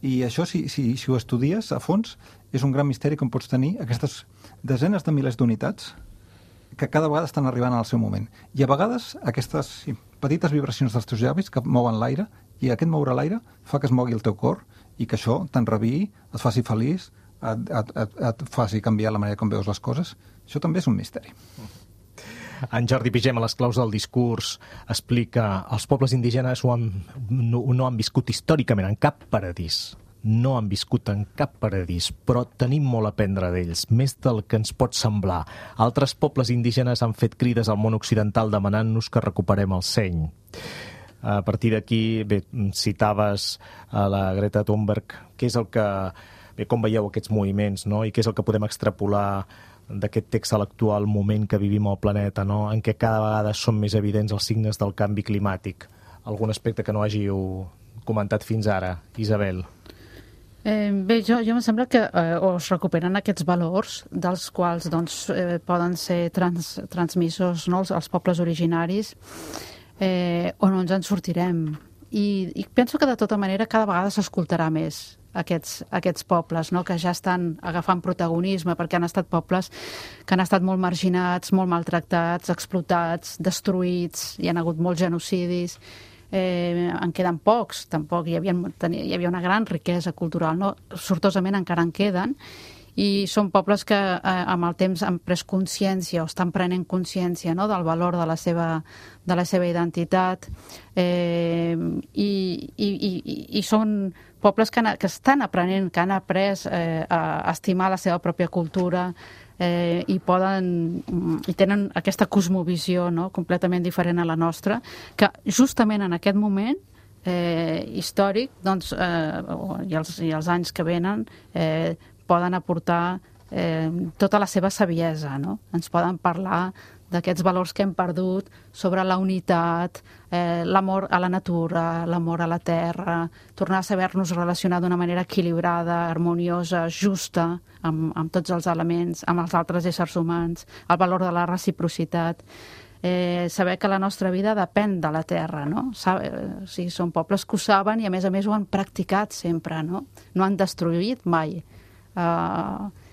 I això, si ho estudies a fons, és un gran misteri com pots tenir aquestes desenes de milers d'unitats que cada vegada estan arribant al seu moment. I a vegades aquestes petites vibracions dels teus llavis que mouen l'aire, i aquest moure l'aire fa que es mogui el teu cor i que això t'enraviï, et faci feliç, et faci canviar la manera com veus les coses. Això també és un misteri. En Jordi Pigem, a les claus del discurs, explica els pobles indígenes no han viscut històricament en cap paradís. No han viscut en cap paradís, però tenim molt a aprendre d'ells, més del que ens pot semblar. Altres pobles indígenes han fet crides al món occidental demanant-nos que recuperem el seny. A partir d'aquí, bé, citaves a la Greta Thunberg, què és el que... Bé, com veieu aquests moviments, no? I què és el que podem extrapolar d'aquest text a l'actual moment que vivim al planeta, no? En què cada vegada són més evidents els signes del canvi climàtic. Algun aspecte que no hàgiu comentat fins ara, Isabel? Bé, jo em sembla que es recuperen aquests valors dels quals poden ser transmissos, no, als pobles originaris, o no ens en sortirem. I penso que de tota manera cada vegada s'escoltarà més aquests pobles, no, que ja estan agafant protagonisme, perquè han estat pobles que han estat molt marginats, molt maltractats, explotats, destruïts, hi han hagut molts genocidis. En queden pocs, tampoc hi havia una gran riquesa cultural, no? Sortosament encara en queden, i són pobles que amb el temps han pres consciència o estan prenent consciència, no?, del valor de la seva identitat, i són pobles que estan aprenent, que han après a estimar la seva pròpia cultura, i tenen aquesta cosmovisió, no?, completament diferent a la nostra, que justament en aquest moment històric, i els anys que venen, poden aportar tota la seva saviesa, no? Ens poden parlar d'aquests valors que hem perdut sobre la unitat, l'amor a la natura, l'amor a la terra, tornar a saber-nos relacionar d'una manera equilibrada, harmoniosa, justa, amb tots els elements, amb els altres éssers humans, el valor de la reciprocitat, saber que la nostra vida depèn de la terra, no? O sigui, són pobles que ho saben i a més ho han practicat sempre, no? No han destruït mai.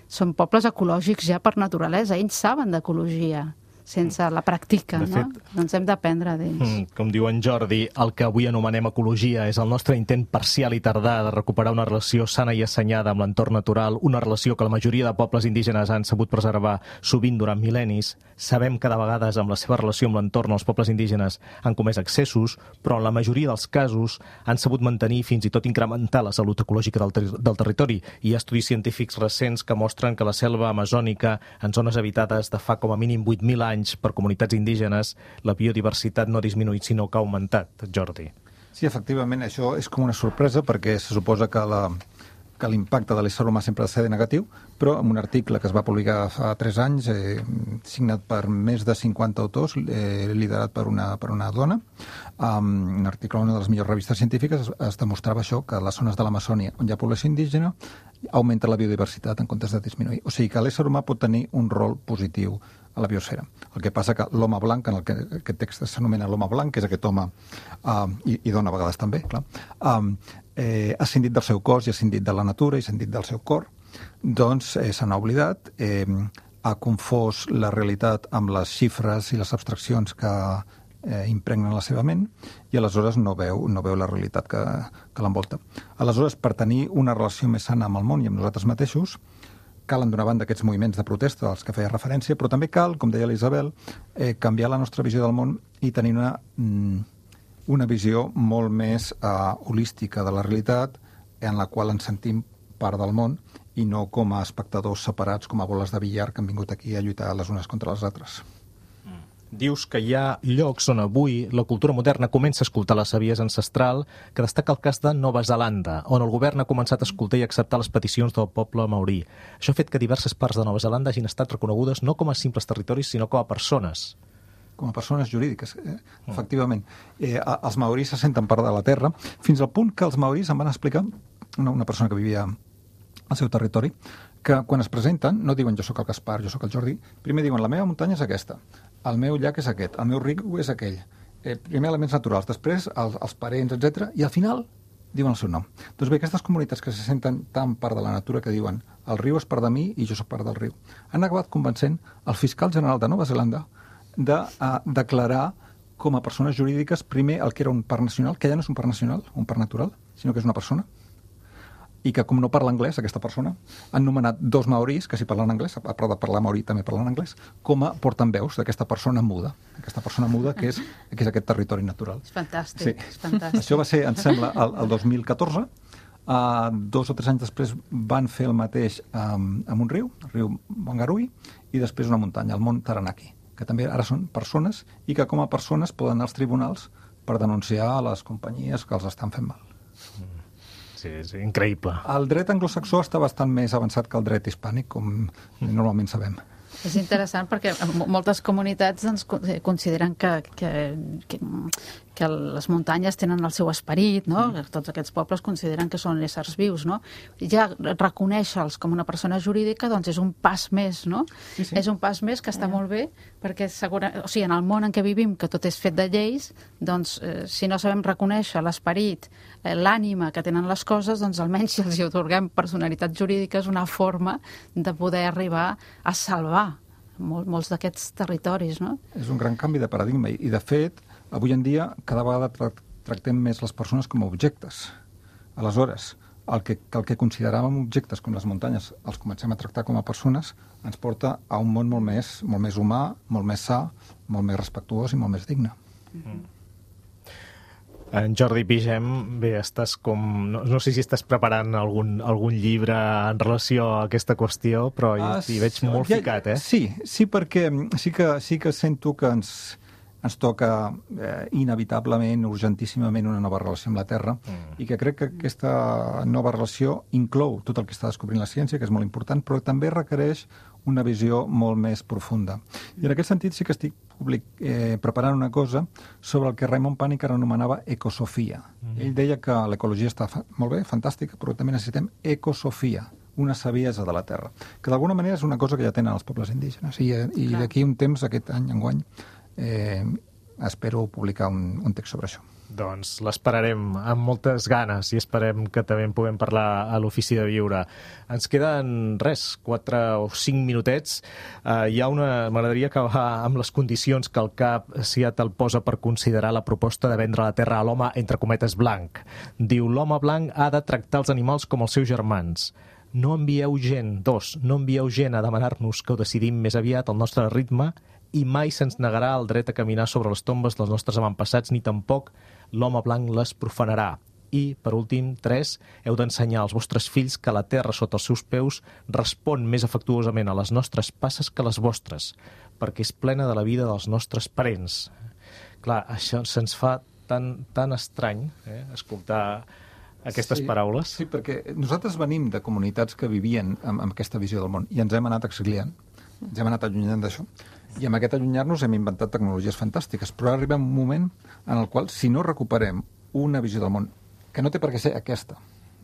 Són pobles ecològics ja per naturalesa, ells saben d'ecologia, sense la pràctica, no? Doncs hem d'aprendre d'ells. Com diu en Jordi, el que avui anomenem ecologia és el nostre intent parcial i tardà de recuperar una relació sana i assenyada amb l'entorn natural, una relació que la majoria de pobles indígenes han sabut preservar sovint durant mil·lennis. Sabem que de vegades amb la seva relació amb l'entorn els pobles indígenes han comès excessos, però en la majoria dels casos han sabut mantenir i fins i tot incrementar la salut ecològica del territori. Hi ha estudis científics recents que mostren que la selva amazònica, en zones habitades de fa com a mínim 8.000 anys per comunitats indígenes, la biodiversitat no ha disminuït, sinó que ha augmentat, Jordi. Sí, efectivament, això és com una sorpresa perquè se suposa que l'impacte de l'ésser humà sempre ha de ser negatiu, però en un article que es va publicar fa 3 anys, signat per més de 50 autors, liderat per una dona, un article en una de les millors revistes científiques, es demostrava això, que a les zones de l'Amazònia on hi ha població indígena augmenta la biodiversitat en comptes de disminuir. O sigui que l'ésser humà pot tenir un rol positiu a la biosfera. El que passa que l'home blanc, en el que aquest text s'anomena l'home blanc, que és aquest home, i dona a vegades també, clar, ha escindit del seu cos i ha escindit de la natura i ha escindit del seu cor, doncs se n'ha oblidat, ha confós la realitat amb les xifres i les abstraccions que impregnen la seva ment i aleshores no veu la realitat que l'envolta. Aleshores, per tenir una relació més sana amb el món i amb nosaltres mateixos, calen d'una banda aquests moviments de protesta als que feia referència, però també cal, com deia l'Isabel, canviar la nostra visió del món i tenir una visió molt més holística de la realitat, en la qual ens sentim part del món i no com a espectadors separats, com a boles de billar que han vingut aquí a lluitar les unes contra les altres. Dius que hi ha llocs on avui la cultura moderna comença a escoltar la saviesa ancestral, que destaca el cas de Nova Zelanda, on el govern ha començat a escoltar i acceptar les peticions del poble maorí. Això ha fet que diverses parts de Nova Zelanda hagin estat reconegudes no com a simples territoris, sinó com a persones. Com a persones jurídiques, efectivament. Els maoris se senten part de la terra, fins al punt que els maoris em van explicar, una persona que vivia al seu territori, que quan es presenten no diuen jo sóc el Gaspar, jo sóc el Jordi, primer diuen la meva muntanya és aquesta, el meu llac és aquest, el meu riu és aquell, primer elements naturals, després els parents, etc. I al final diuen el seu nom. Doncs bé, aquestes comunitats que se senten tan part de la natura que diuen el riu és part de mi i jo sóc part del riu, han acabat convencent el fiscal general de Nova Zelanda de declarar com a persones jurídiques primer el que era un parc nacional, que ja no és un parc nacional, un parc natural, sinó que és una persona, i que com no parla anglès, aquesta persona, han nomenat 2 maoris, que si parlen anglès, a part de parlar maori també parlen anglès, com a portaveus d'aquesta persona muda, que és aquest territori natural. És fantàstic, sí. És fantàstic. Això va ser, em sembla, el 2014. 2 o 3 anys després van fer el mateix amb un riu, el riu Wanganui, i després una muntanya, el Mont Taranaki, que també ara són persones i que com a persones poden anar als tribunals per denunciar a les companyies que els estan fent mal. Sí, és increïble. El dret anglosaxó està bastant més avançat que el dret hispànic, com normalment sabem. És interessant perquè moltes comunitats doncs, consideren que les muntanyes tenen el seu esperit, no? Tots aquests pobles consideren que són éssers vius, no? Ja reconèixer-los com una persona jurídica doncs és un pas més, no? Sí. És un pas més que està molt bé perquè en el món en què vivim, que tot és fet de lleis, doncs si no sabem reconèixer l'esperit, l'ànima que tenen les coses, doncs almenys si els atorguem personalitat jurídica és una forma de poder arribar a salvar molts d'aquests territoris, no? És un gran canvi de paradigma i de fet, avui en dia cada vegada tractem més les persones com a objectes. Aleshores, el que consideràvem objectes com les muntanyes els comencem a tractar com a persones ens porta a un món molt més humà, molt més sa, molt més respectuós i molt més digne. En Jordi Pigem, bé, estàs com... No sé si estàs preparant algun llibre en relació a aquesta qüestió, però hi veig molt ficat, eh? Sí, perquè sí que sento que ens toca inevitablement, urgentíssimament, una nova relació amb la Terra i que crec que aquesta nova relació inclou tot el que està descobrint la ciència, que és molt important, però també requereix una visió molt més profunda. I en aquest sentit sí que estic preparant una cosa sobre el que Raymond Panikkar anomenava ecosofia. Ell deia que l'ecologia està molt bé, fantàstica, però també necessitem ecosofia, una saviesa de la Terra, que d'alguna manera és una cosa que ja tenen els pobles indígenes. I d'aquí un temps, aquest any, enguany, espero publicar un text sobre això. Doncs l'esperarem amb moltes ganes i esperem que també en puguem parlar a l'Ofici de Viure. Ens queden 4 o 5 minutets. M'agradaria acabar amb les condicions que el CAP Seattle posa per considerar la proposta de vendre la terra a l'home, entre cometes, blanc. Diu, l'home blanc ha de tractar els animals com els seus germans. No envieu gent a demanar-nos que ho decidim més aviat al nostre ritme i mai se'ns negarà el dret a caminar sobre les tombes dels nostres avantpassats, ni tampoc l'home blanc les profanarà. I, per últim, 3, heu d'ensenyar als vostres fills que la terra sota els seus peus respon més afectuosament a les nostres passes que les vostres, perquè és plena de la vida dels nostres parents. Clar, això se'ns fa tan estrany, escoltar aquestes paraules. Sí, perquè nosaltres venim de comunitats que vivien amb aquesta visió del món i ens hem anat exiliant, ens hem anat allunyant d'això. I amb aquest allunyar-nos hem inventat tecnologies fantàstiques, però ara arriba un moment en el qual, si no recuperem una visió del món, que no té per què ser aquesta,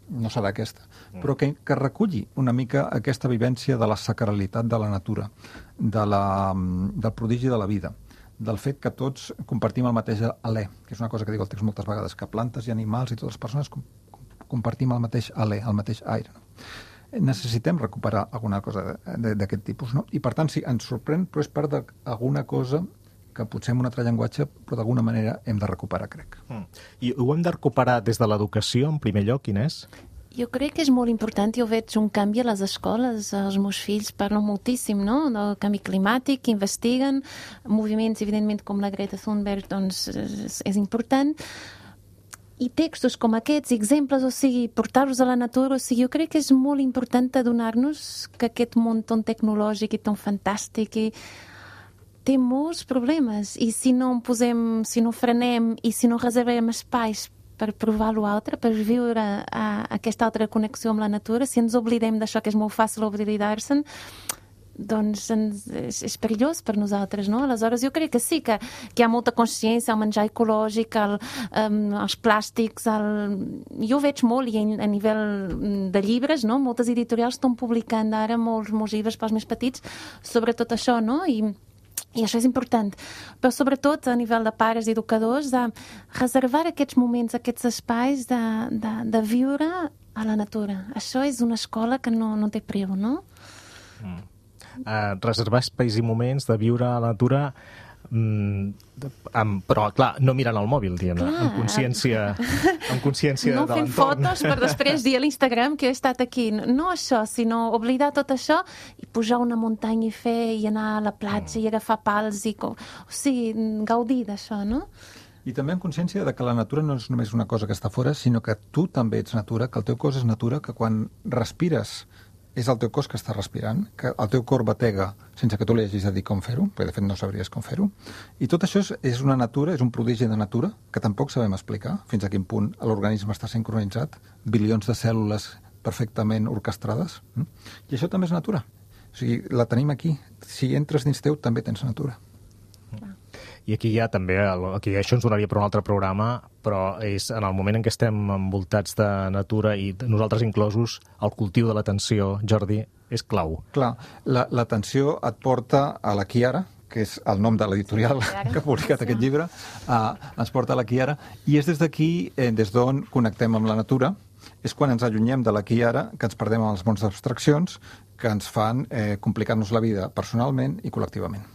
no serà aquesta, però que reculli una mica aquesta vivència de la sacralitat de la natura, del prodigi de la vida, del fet que tots compartim el mateix alè, que és una cosa que dic al text moltes vegades, que plantes i animals i totes les persones compartim el mateix alè, el mateix aire, no? Necessitem recuperar alguna cosa d'aquest tipus, no? I per tant, sí, ens sorprèn, però és part d'alguna cosa que potser en un altre llenguatge, però d'alguna manera hem de recuperar, crec. I ho hem de recuperar des de l'educació, en primer lloc, Inés? Jo crec que és molt important, jo veig un canvi a les escoles, els meus fills parlen moltíssim, no?, del canvi climàtic, investiguen, moviments, evidentment, com la Greta Thunberg, doncs és important, i textos com aquests, exemples, o sigui, portar-los a la natura, o sigui, jo crec que és molt important adonar-nos que aquest món tan tecnològic i tan fantàstic té molts problemes, i si no frenem i si no reservem espais per provar l'altre, per viure aquesta altra connexió amb la natura, si ens oblidem d'això, que és molt fàcil oblidar-se'n, doncs és perillós per nosaltres, no? Aleshores jo crec que sí, que hi ha molta consciència, el menjar ecològic, els plàstics, jo ho veig molt, i a nivell de llibres, no? Moltes editorials estan publicant ara molts llibres pels més petits sobre tot això, no? I això és important, però sobretot a nivell de pares i educadors, de reservar aquests moments, aquests espais de viure a la natura. Això és una escola que no té preu, no? Reservar espais i moments de viure a la natura, però, clar, no mirant el mòbil, diguem-ne, amb consciència no de fent l'entorn. fotos per després dir a l'Instagram que he estat aquí. No això, sinó oblidar tot això i pujar una muntanya i anar a la platja i agafar pals o sigui, gaudir d'això, no? I també amb consciència de que la natura no és només una cosa que està fora, sinó que tu també ets natura, que el teu cos és natura, que quan respires és el teu cos que està respirant, que el teu cor batega sense que tu li hagis de dir com fer-ho, perquè de fet no sabries com fer-ho. I tot això és una natura, és un prodigi de natura, que tampoc sabem explicar fins a quin punt l'organisme està sincronitzat, bilions de cèl·lules perfectament orquestrades. I això també és natura. O sigui, la tenim aquí. Si entres dins teu, també tens natura. I aquí hi ha també, això ens donaria per un altre programa, però és en el moment en què estem envoltats de natura i nosaltres inclosos, el cultiu de l'atenció, Jordi, és clau. Clar, l'atenció et porta a l'aquí i ara, que és el nom de l'editorial que ha publicat aquest llibre, ens porta a l'aquí i ara, i és des d'aquí, des d'on connectem amb la natura, és quan ens allunyem de l'aquí i ara, que ens perdem en els mons d'abstraccions, que ens fan complicar-nos la vida personalment i col·lectivament.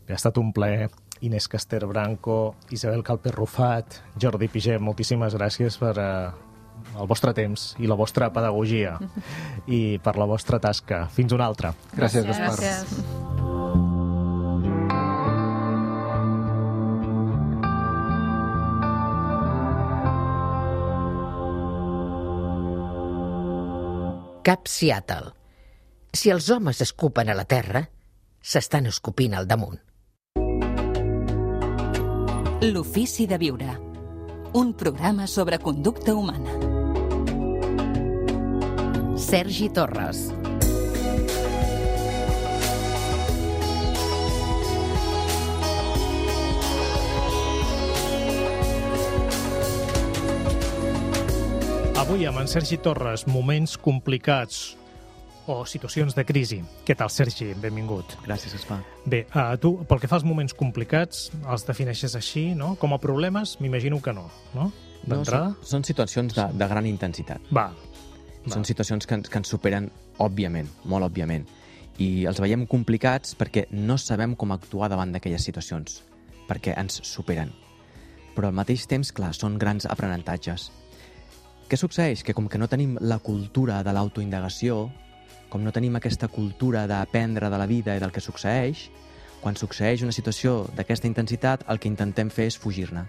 Ha estat un plaer. Inés Caster Branco, Isabel Calper Rufat, Jordi Pigem, moltíssimes gràcies per el vostre temps i la vostra pedagogia i per la vostra tasca. Fins una altra. Gràcies, Gaspar. Gràcies. Cap Seattle. Si els homes escupen a la terra, s'estan escopint al damunt. L'ofici de viure. Un programa sobre conducta humana. Sergi Torres. Avui amb en Sergi Torres, moments complicats o situacions de crisi. Què tal, Sergi? Benvingut. Gràcies, Gaspar. Bé, tu, pel que fa als moments complicats, els defineixes així, no? Com a problemes, m'imagino que no, no? D'entrada? No, són situacions de gran intensitat. Són situacions que ens superen, òbviament, molt òbviament. I els veiem complicats perquè no sabem com actuar davant d'aquelles situacions, perquè ens superen. Però al mateix temps, clar, són grans aprenentatges. Què succeeix? Que com que no tenim la cultura de l'autoindagació, com no tenim aquesta cultura d'aprendre de la vida i del que succeeix, quan succeeix una situació d'aquesta intensitat, el que intentem fer és fugir-ne.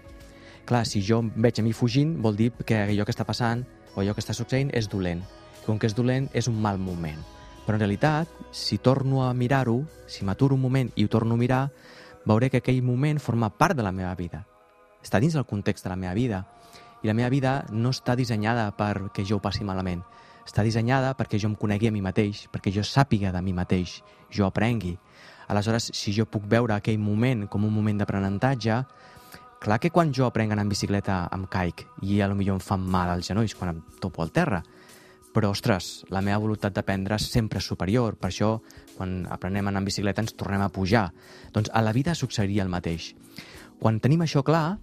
Clar, si jo em veig a mi fugint, vol dir que allò que està passant o allò que està succeint és dolent. I com que és dolent, és un mal moment. Però en realitat, si torno a mirar-ho, si m'aturo un moment i ho torno a mirar, veuré que aquell moment forma part de la meva vida. Està dins del context de la meva vida. I la meva vida no està dissenyada perquè jo ho passi malament. Està dissenyada perquè jo em conegui a mi mateix, perquè jo sàpiga de mi mateix, jo aprengui. Aleshores, si jo puc veure aquell moment com un moment d'aprenentatge, clar que quan jo aprenc a anar en bicicleta em caic i potser em fan mal als genolls quan em topo al terra. Però, ostres, la meva voluntat d'aprendre és sempre superior. Per això, quan aprenem a anar en bicicleta, ens tornem a pujar. Doncs a la vida succeiria el mateix. Quan tenim això clar,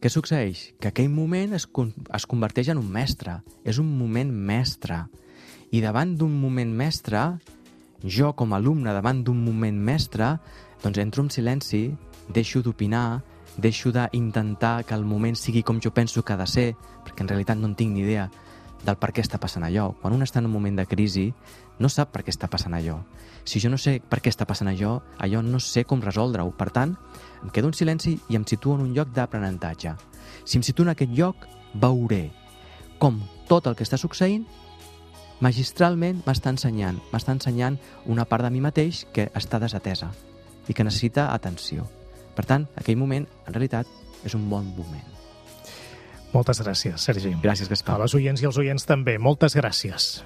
què succeeix? Que aquell moment es converteix en un mestre. És un moment mestre. I davant d'un moment mestre, jo com a alumne davant d'un moment mestre, doncs entro en silenci, deixo d'opinar, deixo d'intentar que el moment sigui com jo penso que ha de ser, perquè en realitat no en tinc ni idea del per què està passant allò. Quan un està en un moment de crisi, no sap per què està passant allò. Si jo no sé per què està passant allò no sé com resoldre-ho. Per tant, em quedo en silenci i em situo en un lloc d'aprenentatge. Si em situo en aquest lloc, veuré com tot el que està succeint magistralment m'està ensenyant una part de mi mateix que està desatesa i que necessita atenció. Per tant, aquell moment, en realitat, és un bon moment. Moltes gràcies, Sergi. Gràcies, Gaspar. A les oients i els oients també, moltes gràcies.